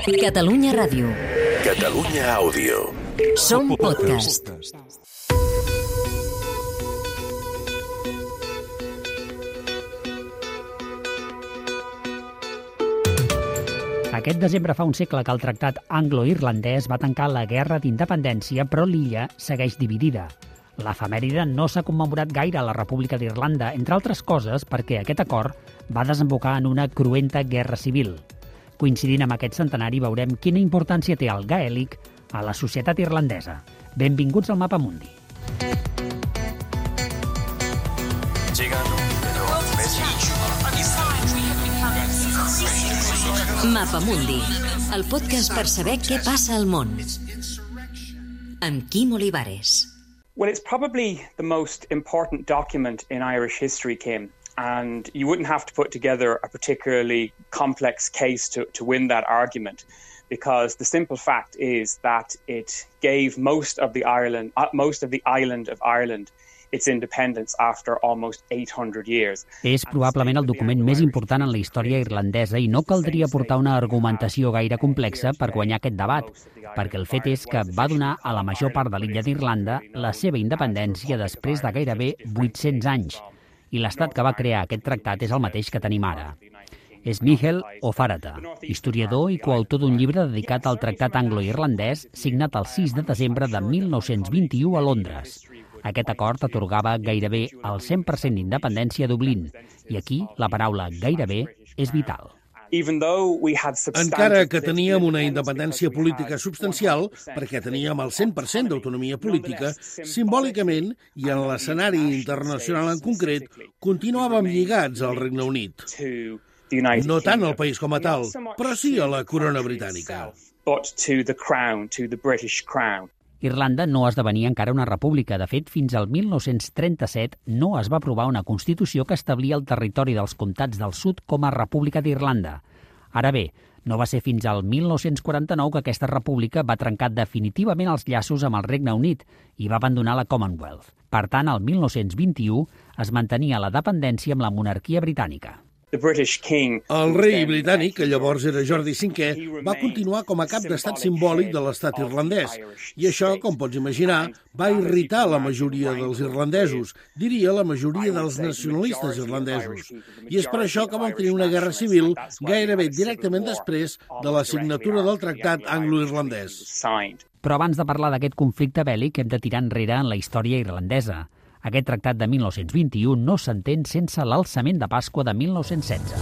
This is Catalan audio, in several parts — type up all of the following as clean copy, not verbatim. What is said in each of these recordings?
Catalunya Ràdio. Catalunya Àudio. Som podcast. Aquest desembre fa un segle que el tractat anglo-irlandès va tancar la guerra d'independència, però l'illa segueix dividida. L'efemèride no s'ha commemorat gaire a la República d'Irlanda, entre altres coses perquè aquest acord va desembocar en una cruenta guerra civil. Coincidint amb aquest centenari veurem quina importància té el gaèlic a la societat irlandesa. Benvinguts al Mapamundi. Mapamundi, el podcast per saber què passa al món. Amb Quim Olivares. Well, it's probably the most important document in Irish history, Kim, and you wouldn't have to put together a particularly complex case to win that argument, because the simple fact is that it gave most of the island of Ireland its independence after almost 800 years. És probablement el document més important en la història irlandesa i no caldria portar una argumentació gaire complexa per guanyar aquest debat, perquè el fet és que va donar a la major part de l'illa d'Irlanda la seva independència després de gairebé 800 anys, i l'estat que va crear aquest tractat és el mateix que tenim ara. És Mícheál Ó Faraghta, historiador i coautor d'un llibre dedicat al tractat anglo-irlandès signat el 6 de desembre de 1921 a Londres. Aquest acord atorgava gairebé el 100% d'independència a Dublín, i aquí la paraula gairebé és vital. Encara que teníem una independència política substancial, perquè teníem el 100% d'autonomia política, simbòlicament, i en l'escenari internacional en concret, continuàvem lligats al Regne Unit. No tant al país com a tal, però sí a la corona britànica. Irlanda no esdevenia encara una república. De fet, fins al 1937 no es va aprovar una Constitució que establia el territori dels comtats del sud com a República d'Irlanda. Ara bé, no va ser fins al 1949 que aquesta república va trencar definitivament els llaços amb el Regne Unit i va abandonar la Commonwealth. Per tant, al 1921 es mantenia la dependència amb la monarquia britànica. El rei britànic, que llavors era Jordi V, va continuar com a cap d'estat simbòlic de l'estat irlandès. I això, com pots imaginar, va irritar la majoria dels irlandesos, diria la majoria dels nacionalistes irlandesos. I és per això que vam tenir una guerra civil gairebé directament després de la signatura del tractat anglo-irlandès. Però abans de parlar d'aquest conflicte bèl·lic hem de tirar enrere en la història irlandesa. Aquest tractat de 1921 no s'entén sense l'alçament de Pasqua de 1916.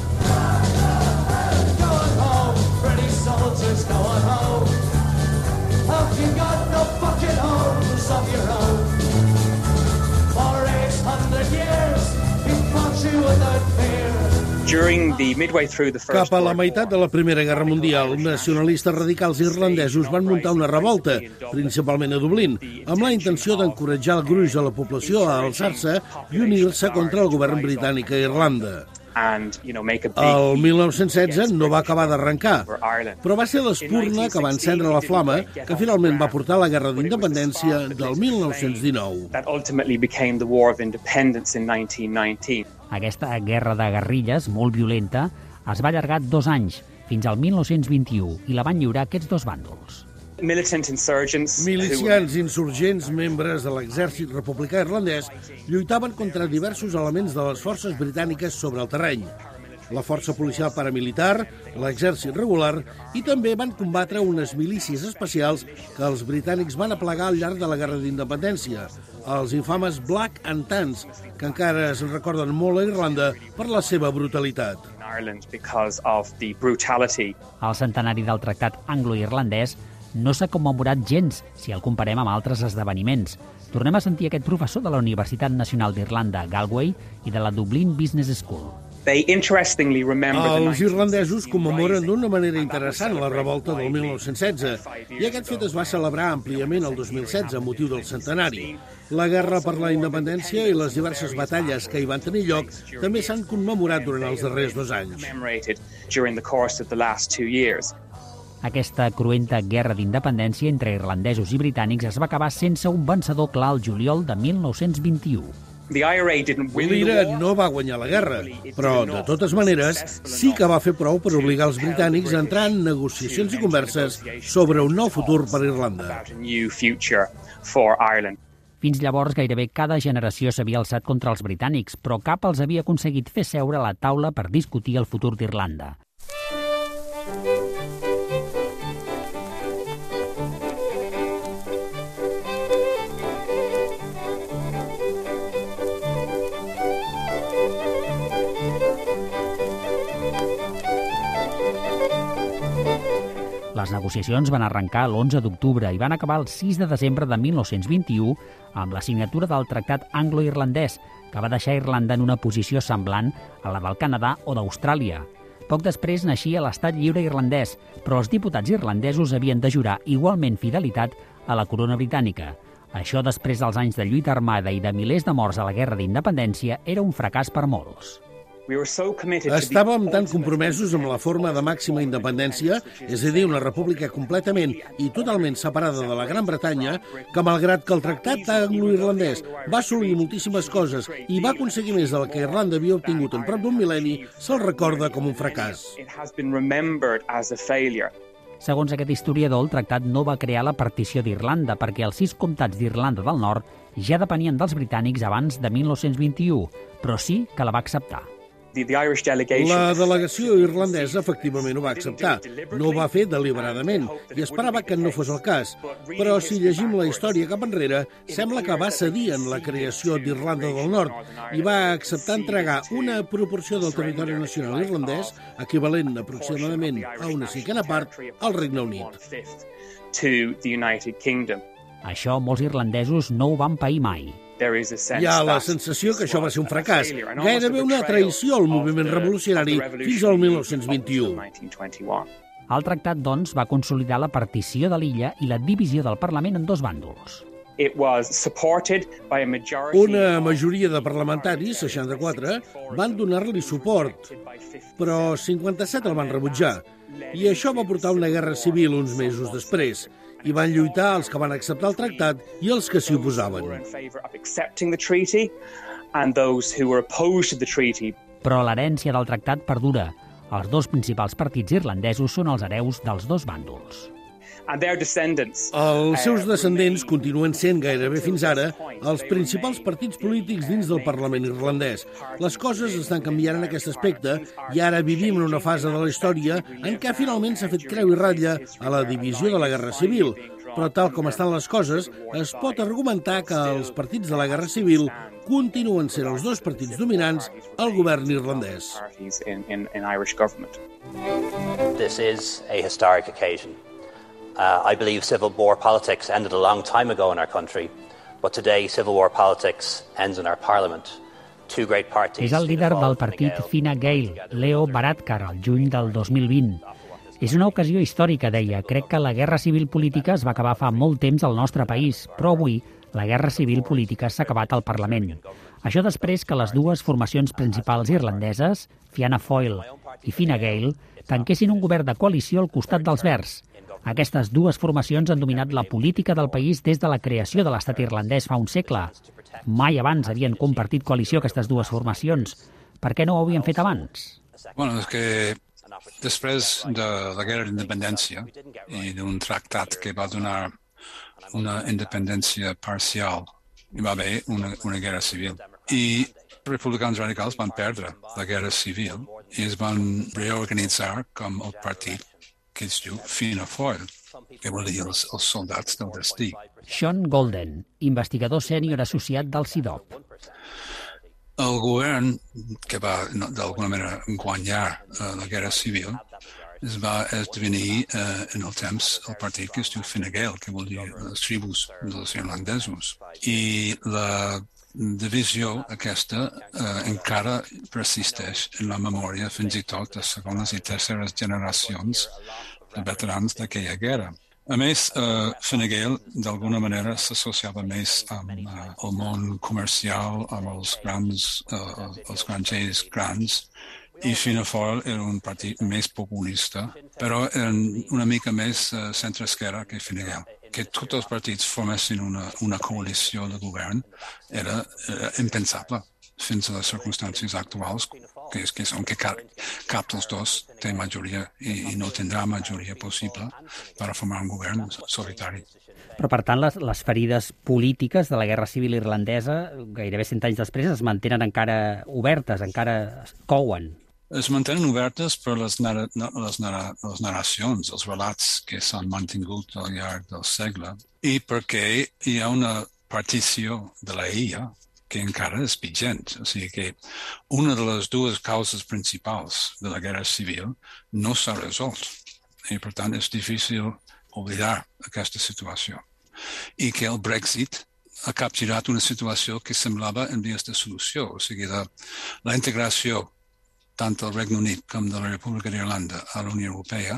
Cap a la meitat de la Primera Guerra Mundial, nacionalistes radicals irlandesos van muntar una revolta, principalment a Dublín, amb la intenció d'encoratjar el gruix de la població a alçar-se i unir-se contra el govern britànic a Irlanda. El 1916 no va acabar d'arrencar, però va ser l'espurna que va encendre la flama que finalment va portar a la Guerra d'Independència del 1919. Aquesta guerra de guerrilles, molt violenta, es va allargar 2 anys, fins al 1921, i la van lliurar aquests dos bàndols. Milicians insurgents, membres de l'exèrcit republicà irlandès, lluitaven contra diversos elements de les forces britàniques sobre el terreny. La força policial paramilitar, l'exèrcit regular, i també van combatre unes milícies especials que els britànics van aplegar al llarg de la Guerra d'Independència, els infames Black and Tans, que encara es recorden molt a Irlanda per la seva brutalitat. El centenari del tractat anglo-irlandès no s'ha commemorat gens si el comparem amb altres esdeveniments. Tornem a sentir aquest professor de la Universitat Nacional d'Irlanda, Galway, i de la Dublin Business School. Els irlandesos commemoren d'una manera interessant la revolta del 1916 i aquest fet es va celebrar àmpliament el 2016 a motiu del centenari. La guerra per la independència i les diverses batalles que hi van tenir lloc també s'han commemorat durant els darrers 2 anys. Aquesta cruenta guerra d'independència entre irlandesos i britànics es va acabar sense un vencedor clar al juliol de 1921. L'IRA no va guanyar la guerra, però, de totes maneres, sí que va fer prou per obligar els britànics a entrar en negociacions i converses sobre un nou futur per Irlanda. Fins llavors, gairebé cada generació s'havia alçat contra els britànics, però cap els havia aconseguit fer seure a la taula per discutir el futur d'Irlanda. Les negociacions van arrencar l'11 d'octubre i van acabar el 6 de desembre de 1921 amb la signatura del Tractat Anglo-Irlandès, que va deixar Irlanda en una posició semblant a la del Canadà o d'Austràlia. Poc després naixia l'Estat Lliure Irlandès, però els diputats irlandesos havien de jurar igualment fidelitat a la corona britànica. Això, després dels anys de lluita armada i de milers de morts a la Guerra d'Independència, era un fracàs per molts. Estàvem tan compromesos amb la forma de màxima independència, és a dir, una república completament i totalment separada de la Gran Bretanya, que malgrat que el tractat anglo-irlandès va assolir moltíssimes coses i va aconseguir més del que Irlanda havia obtingut en prop d'un mil·lenni, se'l recorda com un fracàs. Segons aquest historiador, el tractat no va crear la partició d'Irlanda perquè els 6 comtats d'Irlanda del Nord ja depenien dels britànics abans de 1921, però sí que la va acceptar. La delegació irlandesa efectivament ho va acceptar. No ho va fer deliberadament i esperava que no fos el cas. Però si llegim la història cap enrere, sembla que va cedir en la creació d'Irlanda del Nord i va acceptar entregar una proporció del territori nacional irlandès, equivalent aproximadament a una 5a part, al Regne Unit. Això molts irlandesos no ho van pair mai. Hi ha la sensació que això va ser un fracàs, gairebé una traïció al moviment revolucionari fins al 1921. El tractat, doncs, va consolidar la partició de l'illa i la divisió del Parlament en 2 bàndols. Una majoria de parlamentaris, 64, van donar-li suport, però 57 el van rebutjar, i això va portar una guerra civil uns mesos després. I van lluitar els que van acceptar el tractat i els que s'hi oposaven. Però l'herència del tractat perdura. Els 2 principals partits irlandesos són els hereus dels 2 bàndols. Els seus descendents continuen sent gairebé fins ara els principals partits polítics dins del Parlament irlandès. Les coses estan canviant en aquest aspecte i ara vivim en una fase de la història en què finalment s'ha fet creu i ratlla a la divisió de la Guerra Civil. Però tal com estan les coses, es pot argumentar que els partits de la Guerra Civil continuen sent els 2 partits dominants al govern irlandès. This is a historic occasion. I believe civil war politics ended a long time ago in our country, but today civil war politics ends in our parliament. Two great parties. És el líder del partit Fine Gael, Leo Varadkar, al juny del 2020. És una ocasió històrica, deia. Crec que la guerra civil política es va acabar fa molt temps al nostre país, però avui la guerra civil política s'ha acabat al Parlament. Això després que les 2 formacions principals irlandeses, Fianna Fáil i Fine Gael, tanquessin un govern de coalició al costat dels Verds. Aquestes 2 formacions han dominat la política del país des de la creació de l'estat irlandès fa un segle. Mai abans havien compartit coalició aquestes 2 formacions. Per què no ho havien fet abans? Bueno, és que després de la guerra d'independència i d'un tractat que va donar una independència parcial, hi va haver una guerra civil. I els republicans radicals van perdre la guerra civil i es van reorganitzar com el partit que es diu Fianna Fáil, que vol dir els soldats del destí. Sean Golden, investigador sènior associat del CIDOB. El govern, que va d'alguna manera guanyar la guerra civil, es va esdevenir en el temps el partit que es diu Fine Gael, que vol dir les tribus dels irlandesos. I la divisió aquesta encara persisteix en la memòria fins i tot de segones i terceres generacions de veterans d'aquella guerra. A més, Fine Gael d'alguna manera s'associava més amb el món comercial, amb els granjers grans, i Fianna Fáil era un partit més populista, però una mica més centre-esquerra que Fine Gael, que tots els partits formessin una coalició de govern era impensable fins a les circumstàncies actuals, que són que cap dels dos té majoria i no tindrà majoria possible per formar un govern solitari. Però, per tant, les ferides polítiques de la Guerra Civil irlandesa, gairebé 100 anys després, es mantenen encara obertes, encara couen. Es mantenen obertes per les narracions, els relats que s'han mantingut al llarg del segle i perquè hi ha una partició de la illa que encara és vigent. O sigui que una de les dues causes principals de la Guerra Civil no s'ha resolt i, per tant, és difícil oblidar aquesta situació. I que el Brexit ha capgirat una situació que semblava en vies de solució. O sigui, la integració tant del Regne Unit com de la República d'Irlanda a la Unió Europea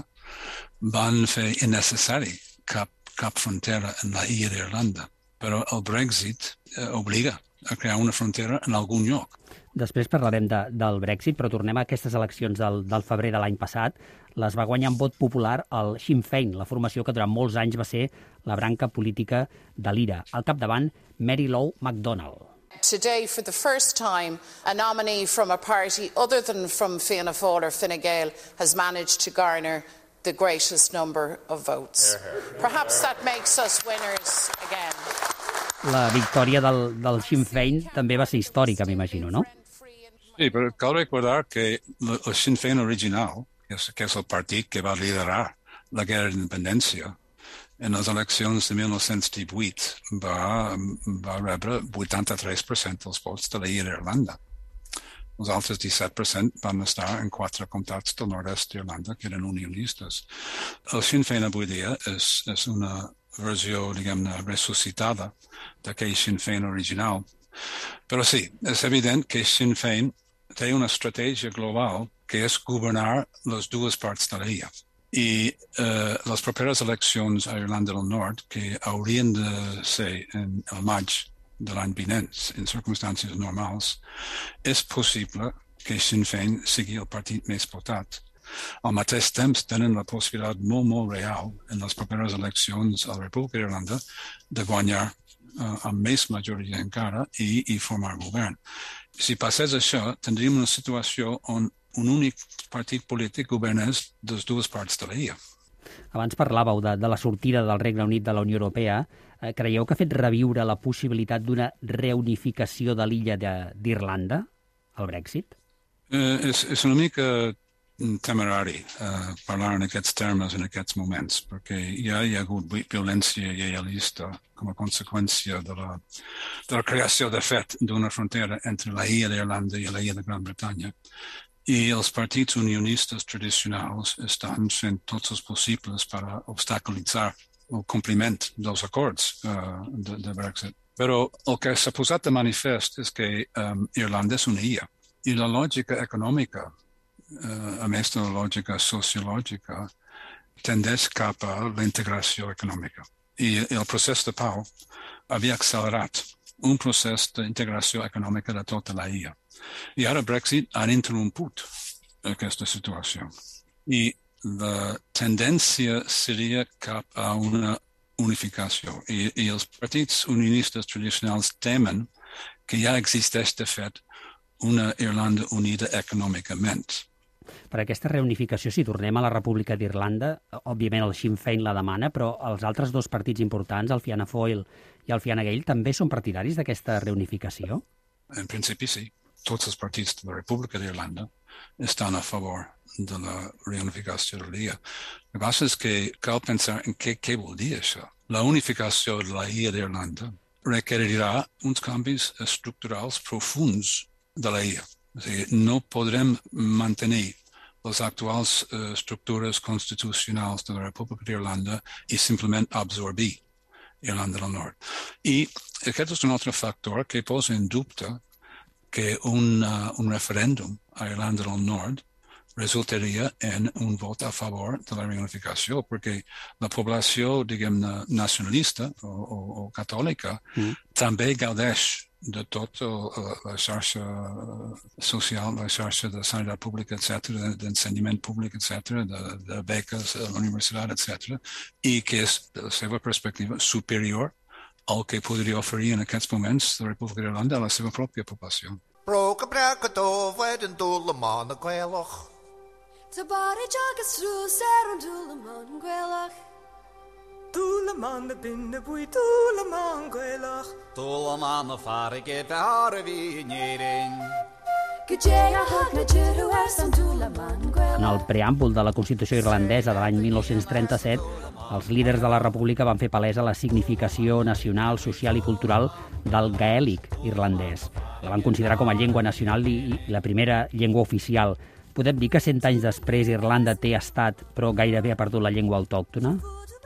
van fer innecessari cap frontera en la illa d'Irlanda. Però el Brexit obliga a crear una frontera en algun lloc. Després parlarem del Brexit, però tornem a aquestes eleccions del febrer de l'any passat. Les va guanyar amb vot popular el Sinn Féin, la formació que durant molts anys va ser la branca política de l'IRA. Al capdavant, Mary Lou McDonald. Today, for the first time, a nominee from a party other than from Fianna Fáil or Fine Gael has managed to garner the greatest number of votes. Perhaps that makes us winners again. La victòria del Sinn Féin també va ser històrica, m'imagino, no? Sí, però cal recordar que el Sinn Féin original, que és el partit que va liderar la guerra d'independència, en les eleccions de 1918 va rebre 83% dels vots de la illa d'Irlanda. Els altres 17% van estar en 4 comtats del nord-est d'Irlanda que eren unionistes. El Sinn Féin avui dia és una versió, diguem-ne, ressuscitada d'aquell Sinn Féin original. Però sí, és evident que Sinn Féin té una estratègia global que és governar les dues parts de la illa. I les properes eleccions a Irlanda del Nord, que haurien de ser el maig de l'any vinent, en circumstàncies normals, és possible que Sinn Féin sigui el partit més votat. Al mateix temps tenen la possibilitat molt real en les properes eleccions a la República d'Irlanda de guanyar amb més majoria encara i formar govern. Si passés això, tindríem una situació on un únic partit polític governés les dues parts de la illa. Abans parlàveu de la sortida del Regne Unit de la Unió Europea. Creieu que ha fet reviure la possibilitat d'una reunificació de l'illa d'Irlanda, el Brexit? És una mica temerari parlar en aquests termes en aquests moments, perquè ja hi ha hagut violència lleialista com a conseqüència de la creació de fet d'una frontera entre la illa d'Irlanda i la illa de Gran Bretanya. I els partits unionistes tradicionals estan fent tots els possibles per obstaculitzar el compliment dels acords de Brexit. Però el que s'ha posat de manifest és que Irlanda és una illa i la lògica econòmica, a més de la lògica sociològica, tendeix cap a la integració econòmica. I el procés de pau havia accelerat un procés d'integració econòmica de tota la illa. I ara Brexit ha interromput aquesta situació. I la tendència seria cap a una unificació. I els partits unionistes tradicionals temen que ja existeix, de fet, una Irlanda unida econòmicament. Per aquesta reunificació, si tornem a la República d'Irlanda, òbviament el Sinn Féin la demana, però els altres dos partits importants, el Fianna Fáil i el Fine Gael, també són partidaris d'aquesta reunificació? En principi, sí. Tots els partits de la República d'Irlanda estan a favor de la reunificació de l'illa. El que passa és que cal pensar en què vol dir això. La unificació de la illa d'Irlanda requerirà uns canvis estructurals profuns de la illa. O sigui, no podrem mantenir les actuals estructures constitucionals de la República d'Irlanda i simplement absorbir Irlanda del Nord. I aquest és un altre factor que posa en dubte que un referèndum a Irlanda del Nord resultaria en un vot a favor de la reunificació, perquè la població, diguem-ne, nacionalista o catòlica també gaudeix de tot la xarxa social, la xarxa de sanitat pública, etc., d'ensenyament públic, etc., de beques a la universitat, etc., i que és, de la seva perspectiva, superior al que podria oferir en aquests moments la República d'Irlanda a la seva pròpia població. Dúlaman na binne bui dúlaman gwelach Dúlaman na farige dar a fi nyering En el preàmbul de la Constitució irlandesa de l'any 1937, els líders de la República van fer palesa la significació nacional, social i cultural del gaèlic irlandès. La van considerar com a llengua nacional i la primera llengua oficial. Podem dir que 100 anys després Irlanda té estat, però gairebé ha perdut la llengua autòctona?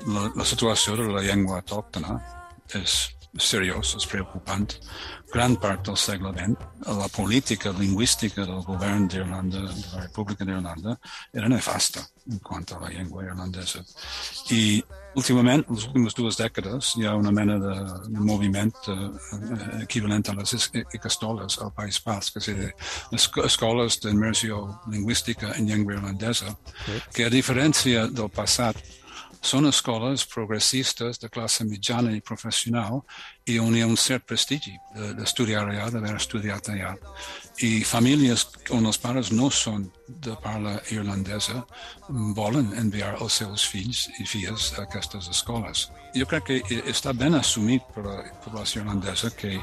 La situació de la llengua autòctona és seriós, és preocupant. Gran part del segle XX, la política lingüística del govern d'Irlanda, de la República d'Irlanda, era nefasta en quant a la llengua irlandesa. I últimament, les últimes 2 dècades, hi ha una mena de moviment equivalent a les ecostoles al País Basc, és a dir, escoles d'immersió lingüística en llengua irlandesa, que a diferència del passat, són escoles progressistes de classe mitjana i professional i on hi ha un cert prestigi d'estudiar allà, d'haver estudiat allà. I famílies on els pares no són de parla irlandesa volen enviar els seus fills i filles a aquestes escoles. Jo crec que està ben assumit per la població irlandesa que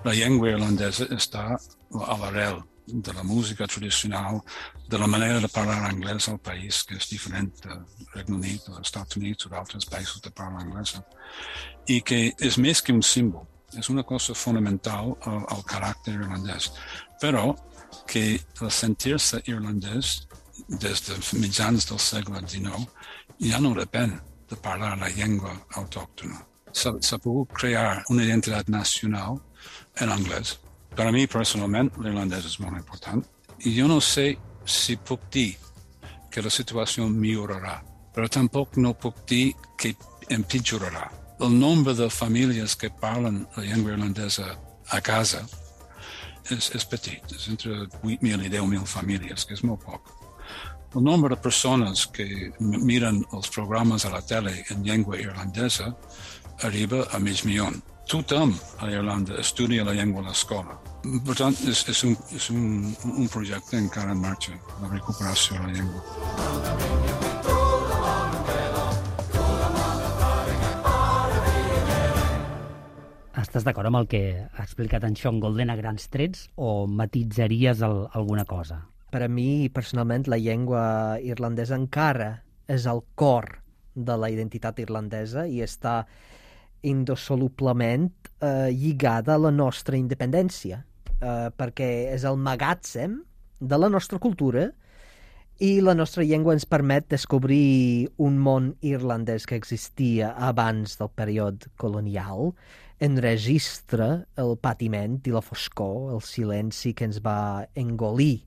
la llengua irlandesa està a l'arrel de la música tradicional, de la manera de parlar anglès al país, que és diferent del Regne Unit, dels Estats Units o d'altres països de parla anglesa, i que és més que un símbol, és una cosa fonamental al caràcter irlandès, però que el sentir-se irlandès des de mitjans del segle XIX ja no depèn de parlar la llengua autòctona. S'ha pogut crear una identitat nacional en anglès. Per a mi, personalment, l'irlandès és molt important. I jo no sé si puc dir que la situació millorarà, però tampoc no puc dir que empitjorarà. El nombre de famílies que parlen la llengua irlandesa a casa és petit, és entre 8.000 i 10.000 famílies, que és molt poc. El nombre de persones que miren els programes a la tele en llengua irlandesa arriba a 500.000. Tothom a Irlanda estudia la llengua a l'escola. Per tant, és un projecte encara en marxa, la recuperació de la llengua. Estàs d'acord amb el que ha explicat en Sean Golden a grans trets o matitzaries alguna cosa? Per a mi, personalment, la llengua irlandesa encara és el cor de la identitat irlandesa i està indissolublement lligada a la nostra independència, perquè és el magatzem de la nostra cultura i la nostra llengua ens permet descobrir un món irlandès que existia abans del període colonial, enregistra el patiment i la foscor, el silenci que ens va engolir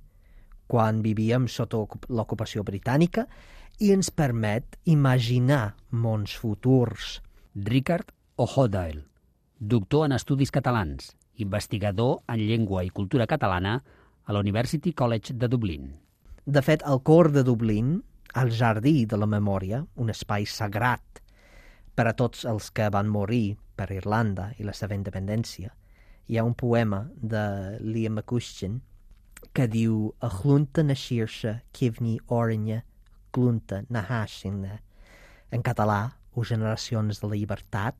quan vivíem sota l'ocupació britànica i ens permet imaginar mons futurs. Ricard O'Hodail, doctor en Estudis Catalans, investigador en Llengua i Cultura Catalana a la University College de Dublín. De fet, al cor de Dublín, al Jardí de la Memòria, un espai sagrat per a tots els que van morir per Irlanda i la seva independència, hi ha un poema de Liam McCuistion que diu «A chlúnta na xirxa, cifni oranya, clúnta na hàxina». En català, o generacions de la llibertat,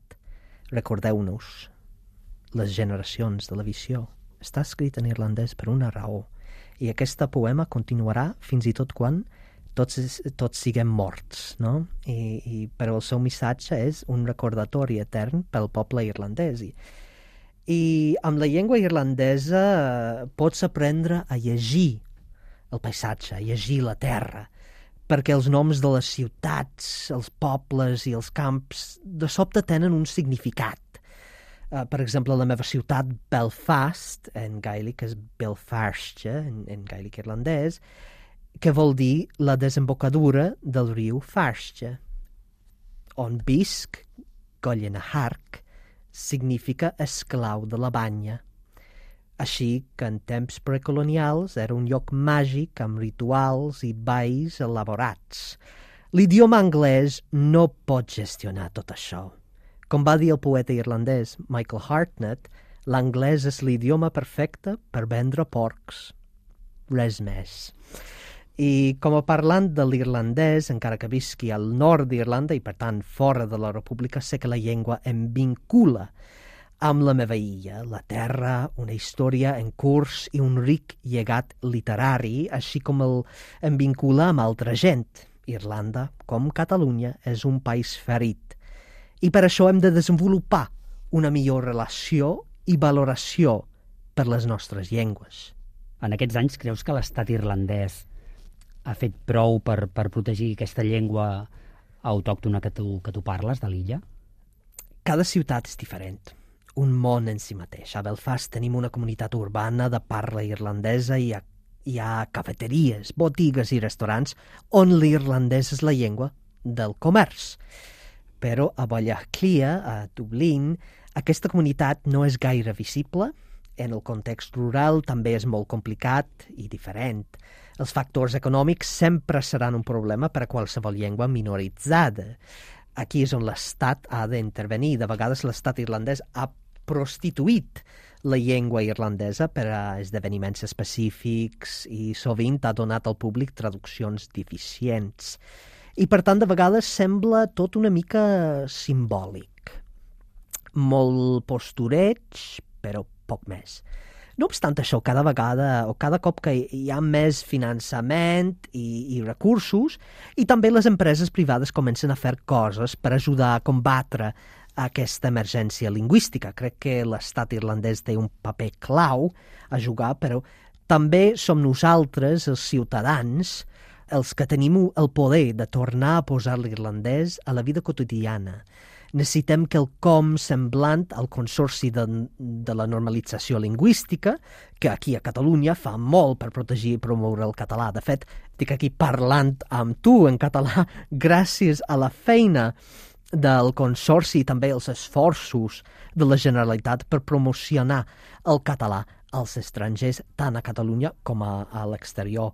recordeu-nos, les generacions de la visió. Està escrit en irlandès per una raó. I aquest poema continuarà fins i tot quan tots siguem morts, no? Però el seu missatge és un recordatori etern pel poble irlandès. I amb la llengua irlandesa pots aprendre a llegir el paisatge, a llegir la terra, perquè els noms de les ciutats, els pobles i els camps de sobte tenen un significat. Per exemple, la meva ciutat, Belfast, en gaèlic és Belfairste, en gaèlic irlandès, que vol dir la desembocadura del riu Fairste. On visc, Gollena Hark, significa esclau de la banya. així que en temps precolonials era un lloc màgic amb rituals i balls elaborats. L'idioma anglès no pot gestionar tot això. Com va dir el poeta irlandès Michael Hartnett, l'anglès és l'idioma perfecte per vendre porcs. Res més. I com a parlant de l'irlandès, encara que visqui al nord d'Irlanda i per tant fora de la República, sé que la llengua em vincula amb la meva illa, la terra, una història en curs i un ric llegat literari, així com em vincula amb altra gent. Irlanda, com Catalunya, és un país ferit. I per això hem de desenvolupar una millor relació i valoració per les nostres llengües. En aquests anys creus que l'estat irlandès ha fet prou per protegir aquesta llengua autòctona que tu parles, de l'illa? Cada ciutat és diferent, un món en si mateix. A Belfast tenim una comunitat urbana de parla irlandesa i hi ha cafeteries, botigues i restaurants on l'irlandès és la llengua del comerç. Però a Ballaclia, a Dublín, aquesta comunitat no és gaire visible. En el context rural també és molt complicat i diferent. Els factors econòmics sempre seran un problema per a qualsevol llengua minoritzada. Aquí és on l'Estat ha d'intervenir. De vegades l'Estat irlandès ha prostituït la llengua irlandesa per a esdeveniments específics i sovint ha donat al públic traduccions deficients. I per tant, de vegades sembla tot una mica simbòlic. Molt postureig, però poc més. No obstant això, cada vegada o cada cop que hi ha més finançament i recursos, i també les empreses privades comencen a fer coses per ajudar a combatre aquesta emergència lingüística. Crec que l'estat irlandès té un paper clau a jugar, però també som nosaltres, els ciutadans, els que tenim el poder de tornar a posar l'irlandès a la vida quotidiana. Necessitem quelcom semblant al Consorci de la Normalització Lingüística, que aquí a Catalunya fa molt per protegir i promoure el català. De fet, estic aquí parlant amb tu en català gràcies a la feina del Consorci i també els esforços de la Generalitat per promocionar el català als estrangers, tant a Catalunya com a l'exterior.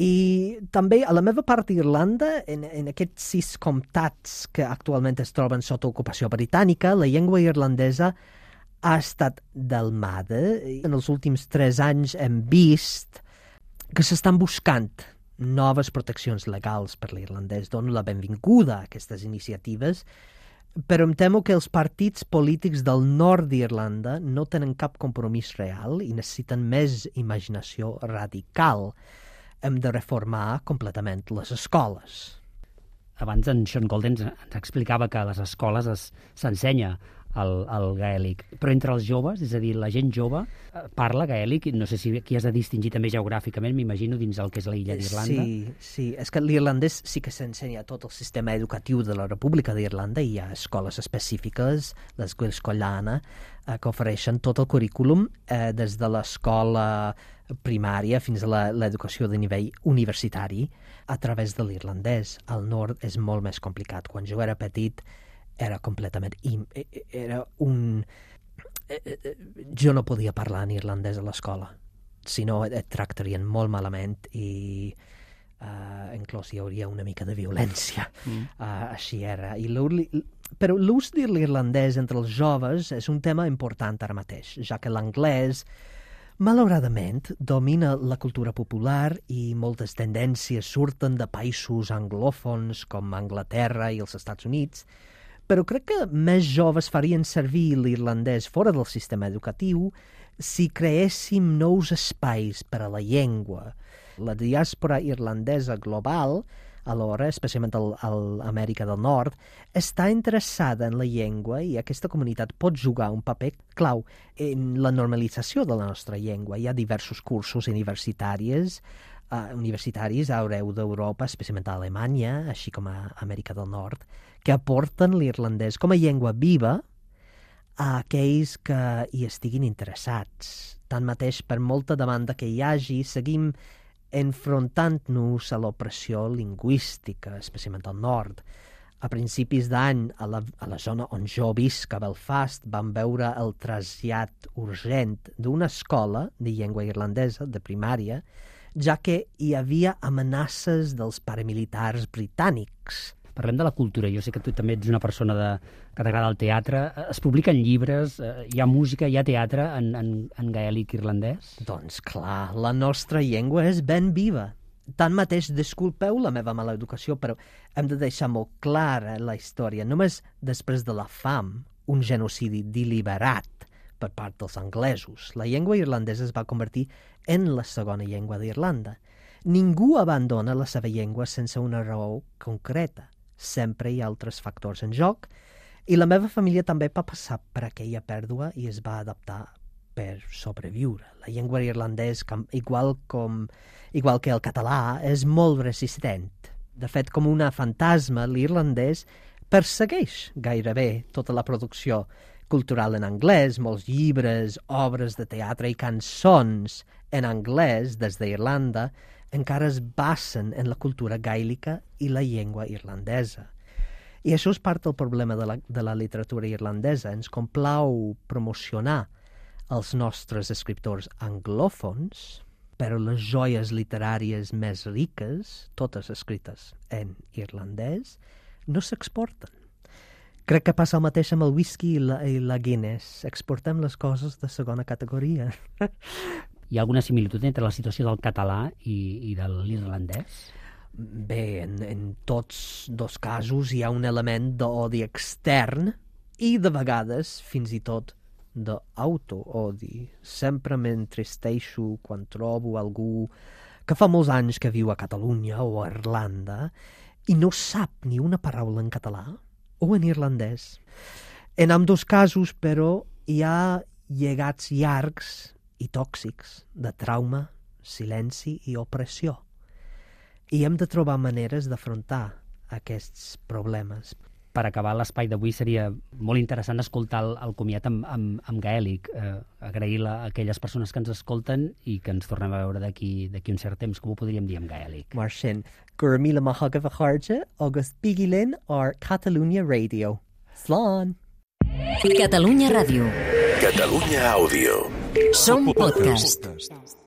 I també a la meva part d'Irlanda, en aquests 6 comtats que actualment es troben sota ocupació britànica, la llengua irlandesa ha estat delmada. En els últims 3 anys hem vist que s'estan buscant noves proteccions legals per l'irlandès. Dono la benvinguda a aquestes iniciatives, però em temo que els partits polítics del nord d'Irlanda no tenen cap compromís real i necessiten més imaginació radical. Hem de reformar completament les escoles. Abans en Sean Golden ens explicava que a les escoles s'ensenya el gaèlic, però entre els joves, és a dir, la gent jove parla gaèlic, no sé si aquí has de distingir també geogràficament, m'imagino, dins el que és l'illa d'Irlanda. Sí, és que l'irlandès sí que s'ensenya a tot el sistema educatiu de la República d'Irlanda, hi ha escoles específiques, l'Escola Collana, que ofereixen tot el currículum des de l'escola primària fins a l'educació de nivell universitari a través de l'irlandès. Al nord és molt més complicat. Quan jo era petit era completament... Jo no podia parlar en irlandès a l'escola, si no et tractarien molt malament i inclús hi hauria una mica de violència. Així era. Però l'ús de l'irlandès entre els joves és un tema important ara mateix, ja que l'anglès malauradament domina la cultura popular i moltes tendències surten de països anglòfons com Anglaterra i els Estats Units, però crec que més joves farien servir l'irlandès fora del sistema educatiu si creéssim nous espais per a la llengua. La diàspora irlandesa global, alhora, especialment a l'Amèrica del Nord, està interessada en la llengua i aquesta comunitat pot jugar un paper clau en la normalització de la nostra llengua. Hi ha diversos cursos universitaris arreu d'Europa, especialment a Alemanya, així com a Amèrica del Nord, que aporten l'irlandès com a llengua viva a aquells que hi estiguin interessats. Tanmateix, per molta demanda que hi hagi, seguim enfrontant-nos a l'opressió lingüística, especialment al nord. A principis d'any, a la zona on jo visc, a Belfast, vam veure el trasllat urgent d'una escola de llengua irlandesa, de primària, ja que hi havia amenaces dels paramilitars britànics. Parlem de la cultura. Jo sé que tu també ets una persona que t'agrada el teatre. Es publiquen llibres, hi ha música, hi ha teatre en gaèlic irlandès? Doncs clar, la nostra llengua és ben viva. Tanmateix, disculpeu la meva mala educació, però hem de deixar molt clara la història. Només després de la fam, un genocidi deliberat per part dels anglesos, la llengua irlandesa es va convertir en la segona llengua d'Irlanda. Ningú abandona la seva llengua sense una raó concreta. Sempre hi ha altres factors en joc, i la meva família també va passar per aquella pèrdua i es va adaptar per sobreviure. La llengua irlandès, igual que el català, és molt resistent. De fet, com una fantasma, l'irlandès persegueix gairebé tota la producció cultural en anglès, molts llibres, obres de teatre i cançons en anglès des d'Irlanda encara es basen en la cultura gaèlica i la llengua irlandesa. I això és part del problema de la literatura irlandesa. Ens complau promocionar els nostres escriptors anglòfons, però les joies literàries més riques, totes escrites en irlandès, no s'exporten. Crec que passa el mateix amb el whisky i la Guinness. Exportem les coses de segona categoria. Hi ha alguna similitud entre la situació del català i de l'irlandès? Bé, en tots dos casos hi ha un element d'odi extern i, de vegades, fins i tot d'autoodi. Sempre m'entristeixo quan trobo algú que fa molts anys que viu a Catalunya o a Irlanda i no sap ni una paraula en català o en irlandès. En ambdós casos, però, hi ha llegats llargs i tòxics de trauma, silenci i opressió. I hem de trobar maneres d'afrontar aquests problemes. Per acabar l'espai d'avui seria molt interessant escoltar el comiat amb gaèlic. Agrair a aquelles persones que ens escolten i que ens tornem a veure d'aquí un cert temps. Com ho podríem dir en gaèlic? Mar sin, gur míle maithagah a chairde agus bigilin ar Catalunya Radio. Slán! Catalunya Ràdio. Catalunya Àudio. Som podcast.